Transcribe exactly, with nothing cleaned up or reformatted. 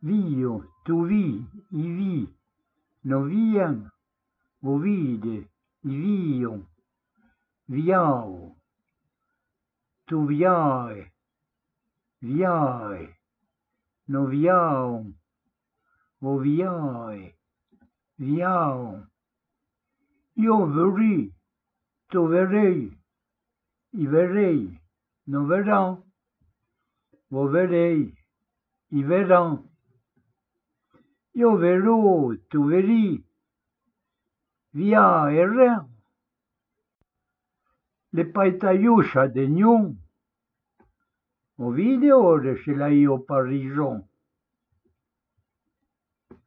Vio, tu vi, i vi, no vian, vo vide, i vion, viao, tu viae, viae, no viaon, vo viae, viaon. Io veri, tu verei, i verei, no verão, vo verei, i verão. Io verò, tu veri, via errão. Le paitaiuscia de gnon, o vide ore se la io parison.